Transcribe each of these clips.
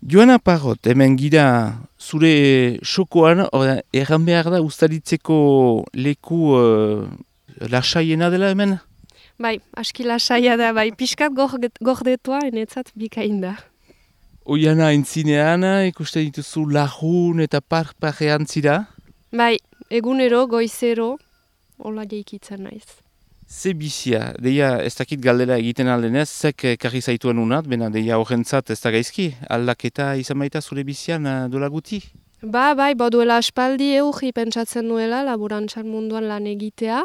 Joana Parrot, hemen gira zure sokoan, erran behar da ustaritzeko leku lasaiena dela hemen? Bai, aski lasaia da, bai, pixkat gordetua, enetzat bikain da. Oiana entzinean, ikusten dituzu lajun eta parpajean zira? Bai, egunero, goizero, hola jeikitzen naiz. Ze bizia, deia ez dakit galdera egiten aldenez, zek karri zaituen unat, bena deia horrentzat ez da gaizki, aldaketa izan baita zure bizian dola guti? Bai, duela aspaldi eurri pentsatzen nuela, laborantzan munduan lan egitea,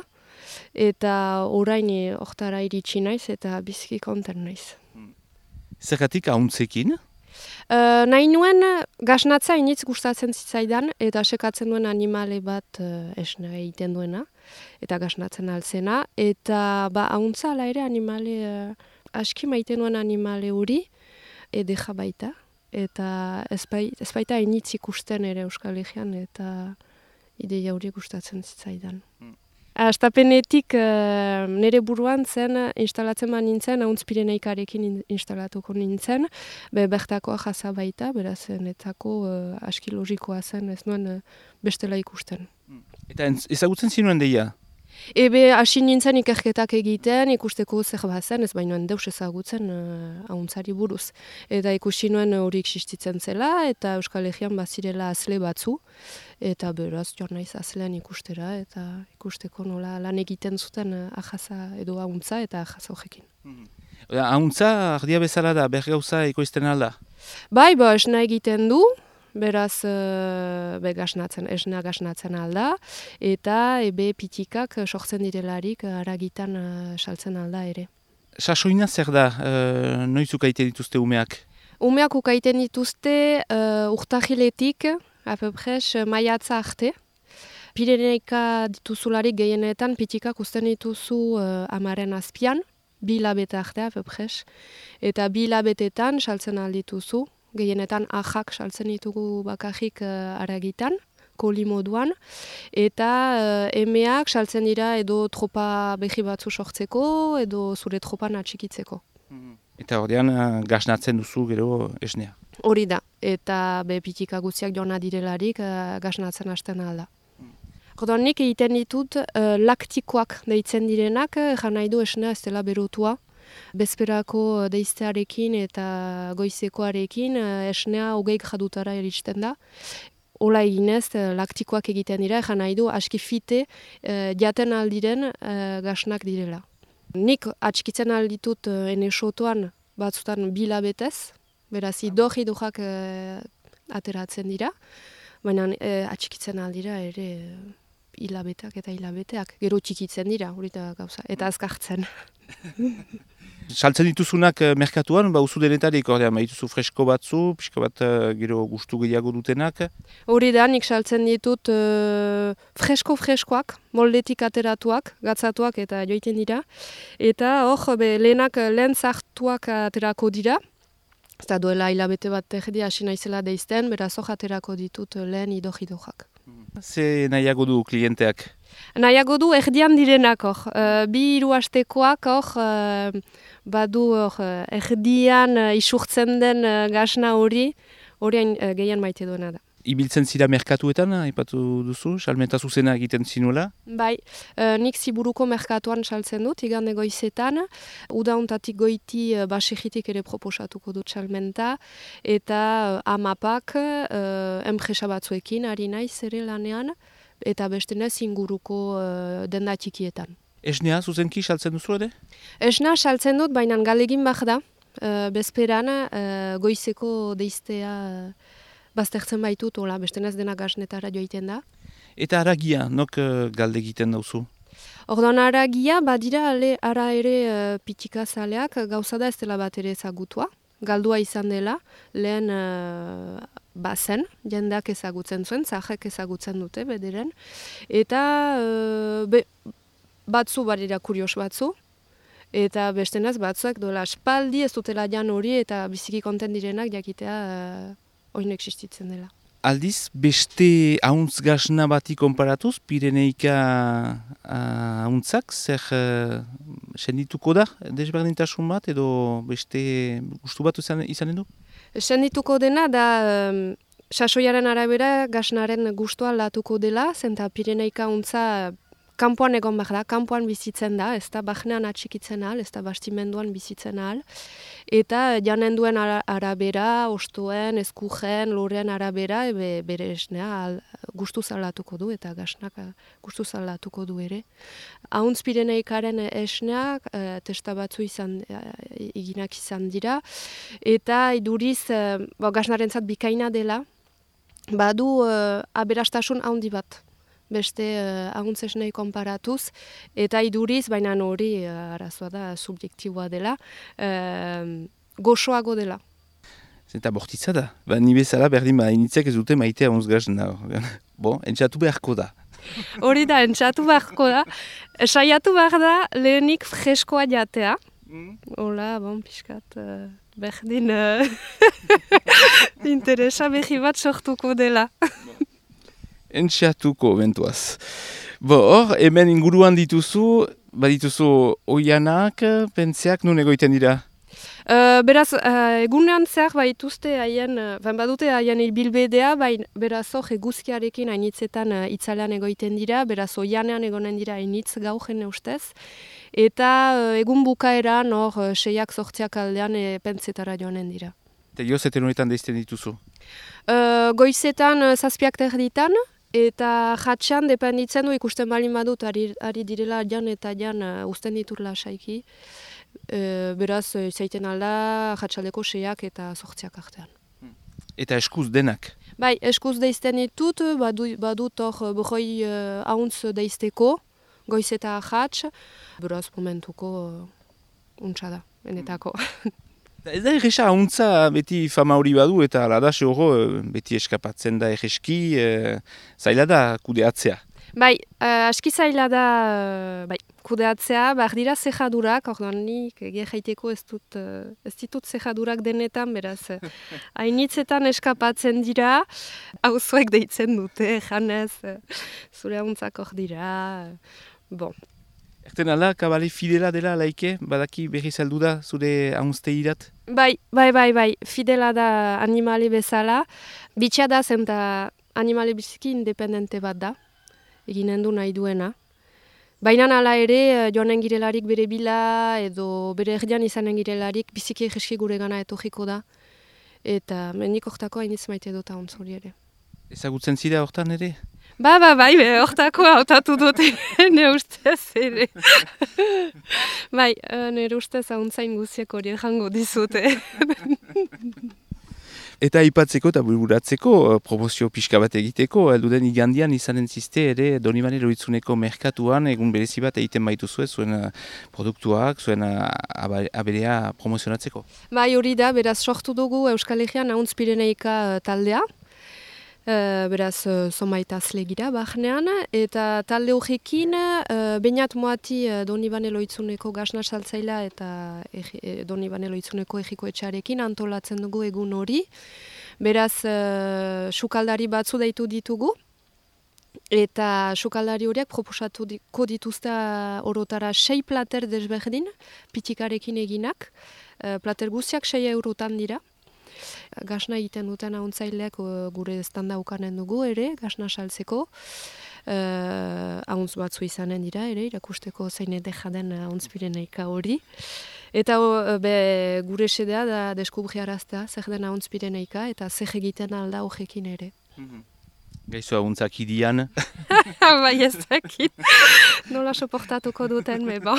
eta orain hortara iritsi naiz eta bizki konten naiz. Zergatik ahuntzekin? Nahi nuen gasnatza initz gustatzen zitzaidan, eta sekatzen duen animale bat esna egiten duena, eta gasnatzen altzena, eta ahuntza ala ere animale, aski maiten duen animale hori, edeja baita, eta ez baita initz ikusten ere Euskal Herrian, eta ideia hori gustatzen zitzaidan. Astapenetik nire buruan zen, instalatzen ba nintzen, Ahuntz Pireneikarekin instalatuko nintzen, bertakoa jasa baita, beraz netzako aski logikoa zen, ez nuen bestela ikusten. Eta ezagutzen zinuen deia? Hasi nintzen ikerketak egiten, ikusteko zer bazen, ez bainoen deus ezagutzen ahuntzari buruz. Eta ikusi nuen hori existitzen zela, eta Euskal Herrian bazirela azle batzu, eta beraz joan naiz azlean ikustera, eta ikusteko nola lan egiten zuten ahaza edo ahuntza eta ahaza horrekin. Ahuntza ardia bezala da, bergauza ekoizten alda? Bai, esna egiten du, beraz esna gasnatzen alda, eta pitikak sortzen direlarik haragitan saltzen alda ere. Sasoina zer da, noiz ukaiten dituzte umeak? Umeak ukaiten dituzte urtahiletik, apepres, maiatza arte. Pireneika dituzularik gehienetan pitikak uzten dituzu 10 azpian, 2 hilabete arte apepres, eta 2 hilabetetan saltzen aldituzu. Gehienetan ahak saltzen ditugu bakarrik haragitan, koli moduan, eta emeak saltzen dira edo tropa behi batzu sortzeko, edo zure tropan atxikitzeko. Eta ordean gasnatzen duzu gero esnea? Hori da, eta pitika guztiak joana direlarik gasnatzen hasten alda. Orduan nik egiten ditut laktikoak deitzen direnak, egan nahi du esnea ez dela berotua. Bezperako deiztearekin eta goizekoarekin esnea 20 gradutara iristen da. Ola eginez, laktikoak egiten dira, egan nahi du aski fite jaten aldiren gasnak direla. Nik atxikitzen alditut ene sotoan batzutan 2 hilabetez, beraz idorrak ateratzen dira, baina atxikitzen aldira ere hilabeteak eta hilabeteak, gero txikitzen dira, hori da gauza, eta azkartzen. Saltzen dituzunak merkatuan, uzu denetarik, ordean, dituzu fresko batzu, pixka bat gero gustu gehiago dutenak? Hori da, nik saltzen ditut freskoak, moldetik ateratuak, gatzatuak eta joiten dira. Eta hor, lehen zartuak aterako dira. Eta duela hilabete bat erdi hasi naizela deizten, beraz hor aterako ditut lehen idorrak. Ze nahiago du klienteak? Nahiago du erdian direnak hor. 2-3 hastekoak hor, badu hor, erdian isurtzen den gasna hori gehien maite duena da. Ibiltzen zira merkatuetan, aipatu duzu, salmenta zuzena egiten zinuela? Bai, nik Ziburuko merkatuan saltzen dut, igande goizetan, udauntatik goiti basegitik ere proposatuko dut salmenta, eta amapak enpresa batzuekin ari naiz ere lanean, eta bestenez inguruko denda txikietan. Esnea zuzenki saltzen duzu ere? Esna saltzen dut, baina galegin bak da, bezperan goizeko deiztea baztertzen baitut, bestenez dena gasnetara joiten da. Eta haragia, nok galde egiten dauzu? Orduan haragia, badira ara ere pitika zaleak, gauza da ez dela bat ere ezagutua. Galdua izan dela, lehen bazen, jendeak ezagutzen zuen, zahek ezagutzen dute bederen. Eta batzu badira kurios batzu, eta bestenez batzuek dola aspaldi ez dutela jan hori eta biziki konten direnak jakitea oin existitzen dela. Aldiz, beste ahuntz gasna bati konparatuz, Pireneika ahuntzak, zer sendituko da desberdintasun bat edo beste gustu bat izanen du? Sendituko dena da sasoiaren arabera gasnaren gustua aldatuko dela, zenta Pireneika untza kanpoan egon behar da, kanpoan bizitzen da, ez da bahnean atxikitzen ahal, ez da bastimenduan bizitzen ahal. Eta janen duen arabera, ostuen, eskujen, loren arabera, bere esnea gustuz aldatuko du, eta gasnak gustuz aldatuko du ere. Hauntz Pireneikaren esneak, testa batzu eginak izan dira, eta iduriz, gasnarentzat bikaina dela, badu aberastasun handi bat. Beste ahuntzesnei konparatuz, eta iduriz, baina hori arazoa da, subjektiboa dela, goxoago dela. Eta bortitza da, ni bezala berdin initzek ez dute maitea ahunz gazna. Entxatu beharko da. Hori da, entxatu beharko da. Saiatu behar da, lehenik freskoa jatea. Hola, pixkat, berdin interesa behi bat sortuko dela. Entxatuko bentuaz. Hor, hemen inguruan dituzu, badituzu oianak, pentseak nun egoiten dira? Beraz, egunean zehar baituzte badute haien bilbedea, beraz hor eguzkiarekin hainitzetan itzalean egoiten dira, beraz oianean egonen dira hainitz gaujen ustez, eta egun bukaeran hor 6-8 aldean pentsetara joanen dira. Eta jozeten horretan deizten dituzu? Goizetan 7 erditan, eta jatxan dependitzen du ikusten balin badut ari direla jan eta jan uzten diturla saiki. Beraz, zaiten alda jatxaldeko 6 eta 8 artean. Eta eskuz denak? Bai, eskuz deizten ditut, badut hor behoi ahuntz deizteko, goiz eta jatx, beraz momentuko untsa da, benetako. Ez da erresa ahuntza beti fama hori badu eta aladaxe horro beti eskapatzen da erreski, zaila da kudeatzea. Bai, aski zaila da kudeatzea, behar dira zejadurak, orduan nik jaiteko ez ditut zejadurak denetan, beraz, hainitzetan eskapatzen dira, auzoek deitzen dute, janez, zure ahuntzak hor dira, Erten ala, kabale fidela dela laike, badaki berri saldu da zure ahunzteirat? Bai, fidela da animale bezala, bitxia da zenta animale biziki independente bat da, eginen du nahi duena. Baina ala ere, joanen girelarik bere bila edo bere erdian izanen girelarik biziki egeski gure gana etorriko da. Eta mendik hortako hainitz maite dut ahuntz hori ere. Ezagutzen zira hortan ere? Bai, hortako hautatu dute, nire ustez ere. Bai, nire ustez ahuntzain guziek hori jango dizute. Eta aipatzeko eta bururatzeko, promozio pixka bat egiteko, elduden igandian izanen ziste ere Donibane Lohitzuneko merkatuan egun berezi bat egiten baituzue zuen produktuak, zuen aberea promozionatzeko. Bai, hori da, beraz sortu dugu Euskal Herrian Ahuntz Pireneika taldea. Beraz, zomaitazle gira bahnean, eta talde horrekin Beñat Moati Donibane Lohitzuneko gasna saltzailea eta Donibane Lohitzuneko egiko etxarekin antolatzen dugu egun hori. Beraz, sukaldari batzu deitu ditugu, eta sukaldari horiek proposatuko dituzte orotara 6 plater desberdin, pitikarekin eginak, plater guztiak 6 eurotan dira. Gasna egiten duten ahuntzaileak gure standa ukanen dugu ere, gasna saltzeko. Ahuntz batzu izanen dira ere, irakusteko zein edeja den Ahuntz Pireneika hori. Eta gure sedea da deskubriaraztea zer den Ahuntz Pireneika eta zer egiten alda horrekin ere. Gaizu ahuntzak idian? Bai ez dakit. Nola soportatuko duten, meba.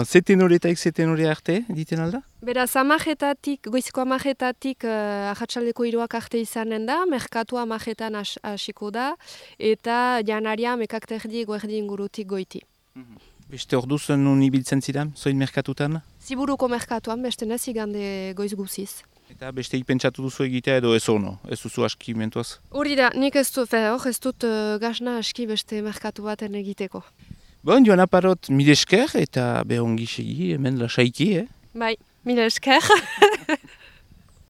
Zeten horretaik zeten horre arte, diten alda? Beraz, goiziko 10-etatik ahatsaldeko 3 arte izanen da, merkatua 10-etan hasiko da, eta janaria mekakterdi goerdi ingurutik goiti. Beste orduz nun ibiltzen zidan, zoin merkatutan? Ziburuko merkatuan, beste nez igande goiz guziz. Eta beste ipentsatu duzu egitea edo ez ono, ez duzu aski mentuaz? Hori da, nik ez dut gasna aski beste merkatu baten egiteko. Joan aparot mil esker eta behongi segi hemen lasaiki, Bai, mil esker.